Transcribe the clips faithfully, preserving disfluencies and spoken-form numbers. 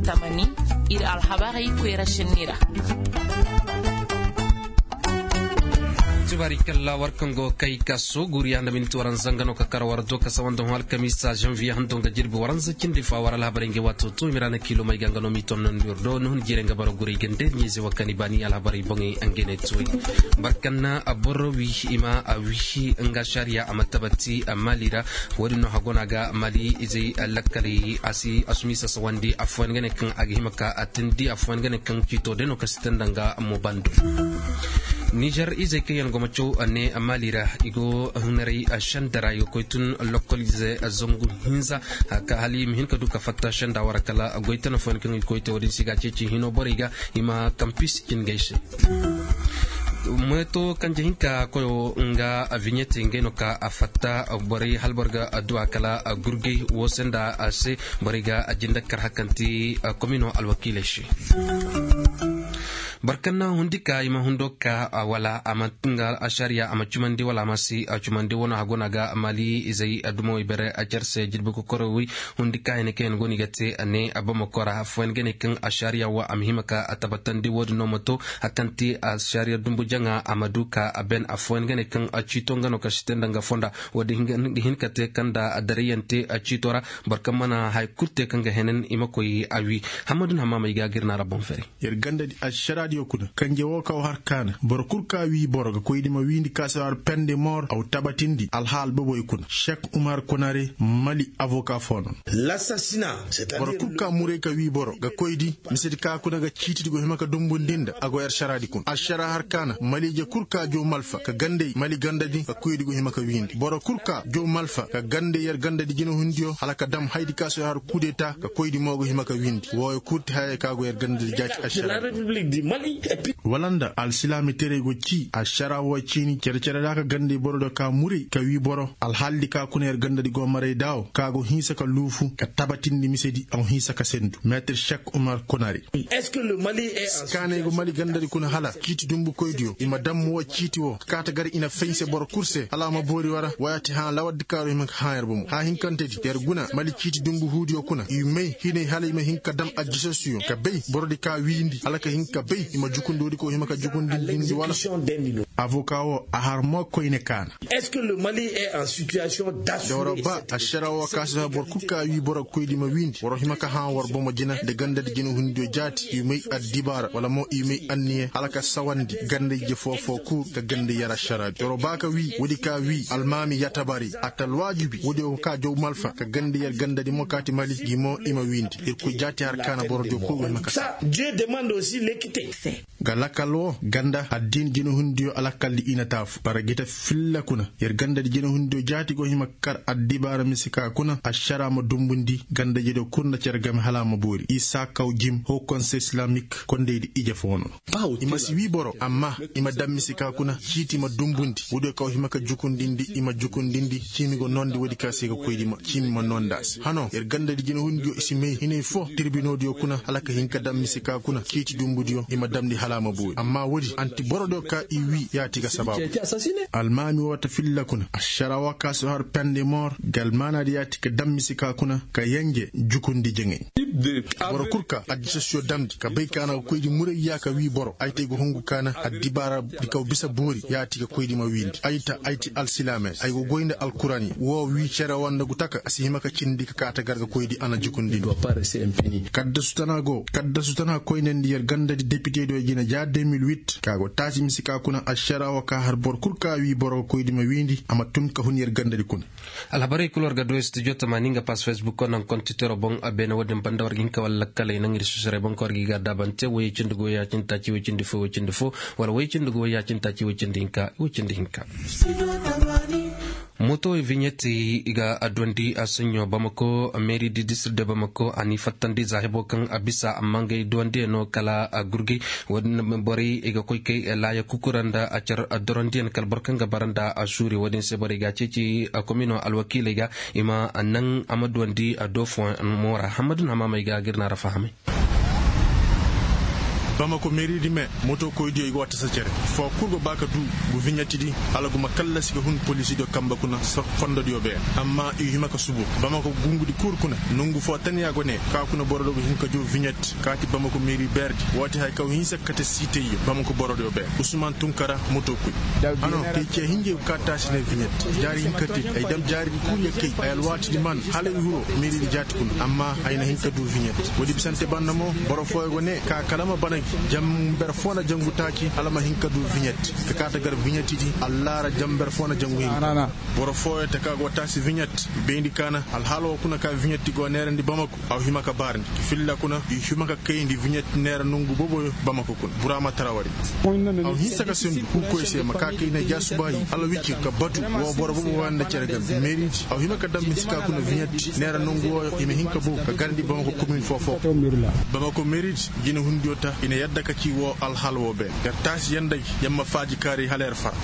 Tamani, ir alhabarey koyra šenni ra. Tibaari kalla war kaŋ go kay ka sooguriya nda miniti waranza nga no ka kar war do ka sawa nda hõ alkamiisa zanviye hando nga jirbi waranza cindi fa war alhabarey nga waato to i ma ra na kiilomey ga nga no m'i tonnandi ir do ni hun jiirey nga bara guray gande ɲayze wa kaŋ i baani alhabarey boŋey nga ne tuwey. Barkanna boro wi i ma a wi nga ašariya a ma tabati maali ra. Wo-din no hagona ga maali izey lakkaley a si a sumi sasawandi affooyaŋ ga ne kaŋ a ga hima ka a tindi affooyaŋ ga ne kaŋ ciito day no ka si tanda nga mo bando. Nizer izey kaŋ yaŋ go ma caw ne maali ra i go hunarey senda ra i ga koy tun lokkol ize zangu hinza ka hala i ma hin ka du ka fatta senda wara kala goy tana fooyaŋ kaŋ i koy te wo-din si ga ceeci hino borey ga i ma kampis cin ga ay se. Meeto kanje hinka koyo nga viɲete ngey no ka a fatta borey hala boro ga adduwa kala gurgey wo se nda a se. Borey ga a jinde kar hakanti komino alwakiiley se. Barkanna hundi ka i ma hundo ka wala a ma nga ašariya a ma cumandi wala a ma si a cumandi wano hagona ga maali izey addumawey bere a cer se jirbi kokoro wi. Hundi ka hene kaŋ yaŋ go no i ga te a ne a bamako ra affooyaŋ ga ne kaŋ ašariya wo a ma hima ka a tabatandi wo-din no ma to a kaŋ ti ašariya dumbu jaŋa a ma du ka a ben affooyaŋ ga ne kaŋ a ciito nga no ka si te nda nga fonda. Wo-din ga hin ka te kaŋ nda a darayante a ciito ra. Boro kaŋ mana haya kulu te kaŋ ga henen i ma koy a wi. Hammadu na hamaamey ga gir na ra boŋ fere. Yer gandadi ašaraadiyo kuna kanje wo kaw har kaana boro kul ka wii boro ga koydi ma wiindi ka si har pende moor aw tabatindi alhaal boboy kuna sek umar konare mali avoka foono. Boro kul ka muray ka wii boro ga koydi misedi ka kuna ga ciitidi go hima ka dumbundinda a go yer šaraadi kuna ašara har kaana mali je kul ka jow malfa ka gandey mali gandadi ga koydi go hima ka wiindi boro kul ka jow malfa ka gandey yer gandadi jinahundiyo hala ka dam haydi ka si har kudeta ka koydi mo go hima ka wiindi wooyo kul ti hayey ka go yer gandadi jaati ašara. Wala nda alsilaami terey go cii ašara woo ciini cere-cere ra ka gandey boro do ka muri ka wii boro alhaalidi ka kuna yer gandadi go maray daawo ka go hinsa ka luufu ka tabatindi misedi aw hinsa ka sendu meetir sek umar konari. Kaaney go mali gandadi kuna hala ciiti dumbukoydiyo i ma dam woo ciiti woo ka kaata gar i na fay se boro kul se hala a ma boori wara waya ti hã lawardi kaaro hima ka hã yer bomo hã hinkantedi yer guna mali ciiti dumbu huudiyo kuna i may hinay hala i ma hin ka dam ajjisasiyo ka bay borodi ka wiindi hala ka hin ka bay i ma jukundi woodi ka wo hima ka jukundi dindi wala. Avoka wo a har mo koyne kaana. Dawra ba ašara wo ka si har boro kul ka wii boro koydi ma wiindi boro hima ka hã war bomo jina nda gandadi jina hundiyo jaati i may addibaara wala mo i may anniye hala ka sawandi gandey je foo-foo kul ka gandey yer ašaraadi doro ba ka wii woodi ka wii almaami yatabari a ta alwaajibi woodiyo ka jaw malfa ka gandey yer gandadi mo kaati mali gi mo i ma wiindi irkoy jaati har kaana borodiyo kul go hima ka sa. Ga lakal wo ganda addiin jinahundiyo alakaldi i na taafu bara gita filla kuna yer gandadi jinahundiyo jaati go hima kar addibaara mise ka kuna ašara ma dumbundi gandajediyo kul nda cere game hala a ma boori isa kaw jim hoo konse islamik kondeydi ije foo no. I ma si wii boro amma i ma dam mise ka kuna ciiti ma dumbundi woodiyo kaw hima ka jukundindi i ma jukundindi ciimi go noondi woodi ka se ga koydi ma ciimi ma noonda se hano yer gandadi jinahundiyo i si may hinay foo tirbinoodiyo kuna hala ka hin ka dam mise ka kuna ciiti dumbudiyo i ma damndi hala a ma boori amma woodi anti borodiyo ka i wii yaati ga sabaabu. Almaami woo ta filla kuna ašara woo ka si har pende moor ga almaanaadi yaati ka dam mise ka kuna ka yenje jukundi jeŋay. Boro kul ka addisasiyo damndi ka bay ka na ga koydi muray ya ka wii boro ay te ay ga hungu ka na addibaaradi kaw bisa boori yaati ga koydi ma wiindi ay ta ay ti alsilaamey ay ga goy nda alkuraani woo wii cere woo nda gu taka a si hima ka cindi ka kaata gar ga koydi a na jukundindi. Kaddasu tana go kaddasu tana koynandi yer gandadi depitediyo jina ja deux mille huit ka go taasi mise ka kuna ašara woo ka har boro kul ka wii boro ga koydi ma wiindi a ma tun ka hun yer gandadi kuna. Alhabarey kul war ga du studio tamaani nga pass facebook ko naŋ konti tero boŋ a beene wo-din banda war ga hin ka wala lakkaley naŋ ir sosorey boŋ ka war ga i ga a daabante woyey cindi go woyey ya cindi taaci woy cindi fo woy cindi fo wala woyey cindi go woyey ya cindi taaci woy cindi hinka woy cindi hinka. Mootowey viɲeti i ga adduwandi a saɲɲo bamako meeri di district de bamako a n'i fattandi za hebo kaŋ a bisa amma ngey duwandiyaŋ no kala a gurgey. Wo-din borey i ga koy kay laaya kukura nda a car dorondiyaŋ kala boro kaŋ ga bara nda a suuri wo-din se borey ga a ceeci komino alwakiiley ga i ma naŋ a ma duwandi a do fooyaŋ mo ra hammadu na maamey ga ga ir na ra fahamay. Bamako meeridi me moto koydiyo i go a tasa cere foo kul go ba ka duu gu viɲettidi. Hala guma kallasi ga hun polisidiyo kamba kuna fondodiyo beene. Amma i hima ka subu bamako gungudi kul kuna nongu foo taniya go ne ka kuna borodiyo ga hin ka juu viɲetti kaati bamako meeri beerdi. Woo ti haya kaw hinsa kate siitayyo bamako borodiyo beene usman tunkara moto koy. Hano kay cee hinjey go ka taasi ne viɲetti jaari hinka te. Ay dam jaaridi kul ya kay ay alwaatidi man hala i hiro meeridi jaati kuna amma ay na hin ka duu viɲetti. Woodi bisante banda mo boro fooyo go ne ka kala ma bana gi jamber foo na jangu taaci hala ma hin ka duu viɲetti. Ka kaata gar viɲettidi allaara jamber foo na jangu hinka. Boro fooyo taka go taasi viɲetti bayndi kaana alhaala woo kuna ka viɲetti go neerandi bamako. Aw hima ka baarandi ka filla kuna i hima ka kayandi viɲetti neera nongu booboyo bamako kuna buraama tarawari. Aw hinsa ka sendu huukoy se ma ka kay na jaasubaayi hala wicir ka batu woo boro boobo wanda cere game meeridi aw hima ka dam misi ka kuna viɲetti neera nongu wooyo i ma hin ka boo ka garandi bamako komin foo foo. Bamako meeridi jina hundiyo ta i na yadda ka ci woo alhaala woo beene yer taasi yanda gi yer ma faaji kaari hala yer fara.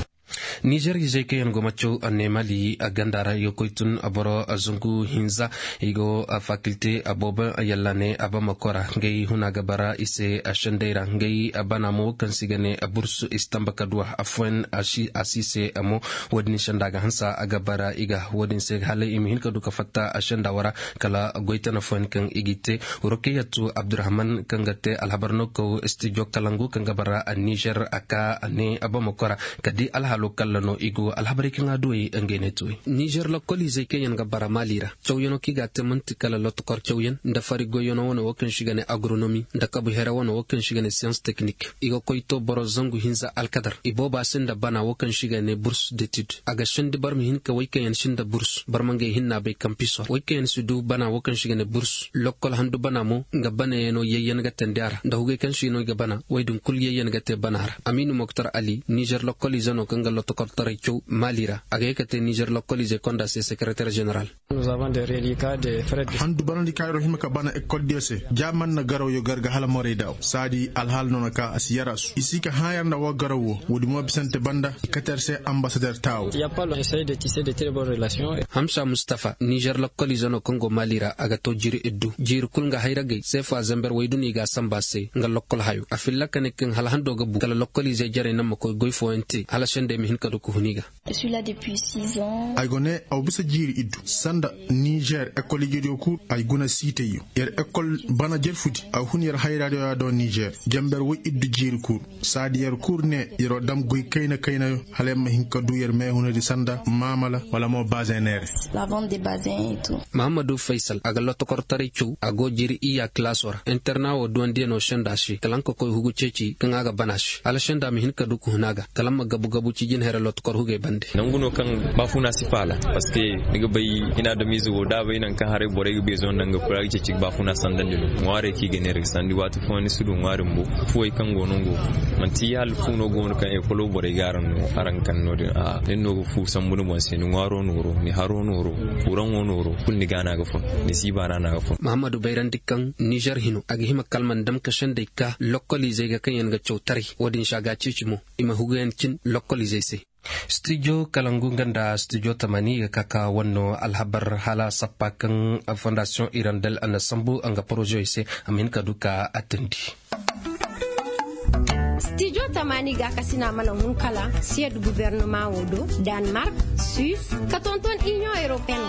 Nizer izey kaŋ yaŋ go ma caw ne mali ganda ra i ga koy tun boro zangu hinza. I go fakilte boobo yalla ne bamako ra ngey huna ga bara i se sendey ra ngey bana mo kaŋ se i ga ne burs i si tamba ka du a afooyaŋ a si se mo. Wo-din senda ga hanse a ga bara i ga wo-din se hala i ma hin ka du ka fatta senda wo ra. Kala goy tana fooyaŋ kaŋ i g'i te rokeyatu abdurahman kaŋ ga te alhabar no kaw stijo kalangu kaŋ ga bara nizer a ka ne bamako ra. Ka di alhaalo kalla no i go alhabarey kaŋ a duwey ngey ne tuwey. Nizer lokkoliizey kaŋ yaŋ ga bara maali ra cawyaŋo kaŋ i ga a te man'ti kala lotokor cawyaŋ nda fari goyyaŋo wane wo kaŋ se i ga ne agronomi nda kabu here wane wo kaŋ se i ga ne siyans teknik. I ga koy to boro zangu hinza alkadar i booba se nda bana wo kaŋ se i ga ne burs detid a ga sendi boro ma hin ka wey kaŋ yaŋ si nda burs boro ma ngey hinna bay kampisor wey kaŋ yaŋ si du bana wo kaŋ se i ga ne burs. Lokkol handu bana mo nga banayaŋo yayyaŋ ga teendi a ra nda hugey kaŋ se no i ga bana wey din kul yayyaŋ ga te bana ra amiinu moktar ali nizer lokkoliize no kaŋ ga lotokortaray caw maali ra a ga ye ka te nizer lokkoliizey konda se sekereter ženeral. Handu banandi kaŋ ay ro hima ka bana ekoldiyo se ja man na garawyo gar ga hala morey daaw saadi alhaala no na ka a si yaraasu i si ka hãa yer nda woo garaw woo woodi mo bisante banda i kate yer se ambasader taawo. Hamsa mustafa nizer lokkoliize no kaŋ go maali ra a ga to jiiri iddu jiiri kul nga hayragey seefa zember woy du no i ga a sanba se nga lokkol hayo a filla ka ne kaŋ hala hando ga bu kala lokkoliizey jarey naŋ ma koy goy fooyaŋ te hala sendey ma hin ka du ka hun i ga. Ay go ne aw bisa jiiri iddu sanda nizer ekoliijediyo kul ay guna siitayyo yer ekol bana jerfudi a hun yer hayraadiyo ya do nizer jamber woy iddu jiiri kul. Saadi yer kul ne yer wa dam goy kayna kaynayo hala yer ma hin ka du yer meehunadi sanda maamala wala mo bazeneere. Mahammadu faysal a ga lotokortaray caw a go jiiri iyya kilaso ra interna wo duwandiyaŋo senda se kala nga ka koy hugu ceeci kaŋ a ga bana se hala senda ma hin ka du ka hun a ga kala nga ma gabu gabu ci jinhere lotokor hugey bande. Nangu no kaŋ baafuna si faala parceque ni ga bay hina adamize wo da a bay nangu kaŋ haray borey ga beezoŋ nda nga kulu a ga ceeci ga baafuna sandandi no ŋwaarey kaŋ i ga neera ga sandi waati fooyaŋ ni si du ŋwaari bumbo. Fuwey kaŋ go no go manti hala fu no go no kaŋ ekolo borey ga araŋ no araŋ kaŋ no- din a nin no ga fu sambu ni boŋ se ni ŋwaaro nooro ni haro nooro kuraŋo nooro kulu ni gaana ga fun ni siiba ra no a ga fun. Mahammadu bayrandi kaŋ nizer hino a ga hima kala ma ni dam ka sendey ka lokkoliizey ga kaŋ yaŋ ga caw taray wo-din se a ga a ceeci mo i ma huguyaŋ cin lokkoliizey se. Stijo kalangu nga nda stijo tamani i ga ka ka wanno alhabar hala sappa kaŋ fondasiyoŋ irandel a na sambu nga porozewey se a ma hin ka du ka a teendi. Stijo tamani gaakasina mana hun kala siyad gubernama wo do, danmark, suis, ka tonton iniyoŋ europeyen.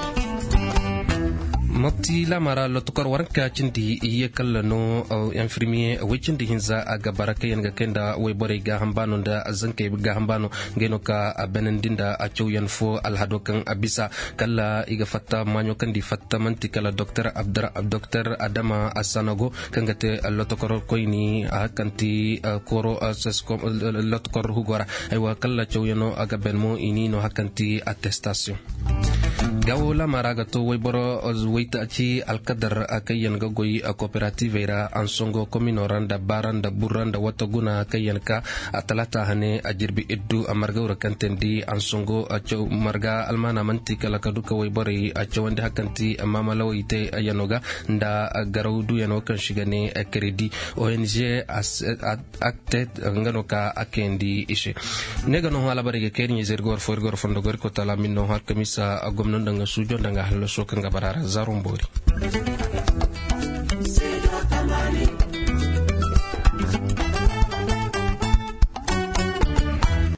Mopti laama ra lotokor waranka cindi iyye kalla no. Infirmiye woy cindi hinza a ga bara kaŋ yaŋ ga kay nda woyborey gaaham baano nda zankey gaaham baano. Ngey no ka a beenandi nda a cawyaŋ fo alhado kaŋ a bisa kala i ga fatta maaɲo kaŋ nda i fatta man'ti kala doktor adama asanago kaŋ ga te lotokor koyni a hakanti koro lotokor hugo ra. Aywa kala cawyaŋo a ga been mo i n'i no hakanti attestasiyoŋ. Gawo laama ra ga to wayboro waytaaci alkadar kaŋ yaŋ ga goy kooperativey ra ansongo komino ra nda baara nda burra nda wata guna kaŋ yaŋ ka a talaata hane a jirbi iddu a marga wura kaŋ teendi ansongo marga almaana man'ti kala ka du ka wayborey a cawandi hakanti maamalawey te yaŋo ga nda garaw duyaŋo kaŋ se i ga ne kredi. Ong akte nga no ka a kayandi i se. Ne ga no hõ alhabarey ga kay iri ɲa-ize iri ga war fo iri ga war fondo go iri koy taala min no hõ alkamisa gomno nda nga suujo nda nga hallaso kaŋ ga bara ra zaaro mboori.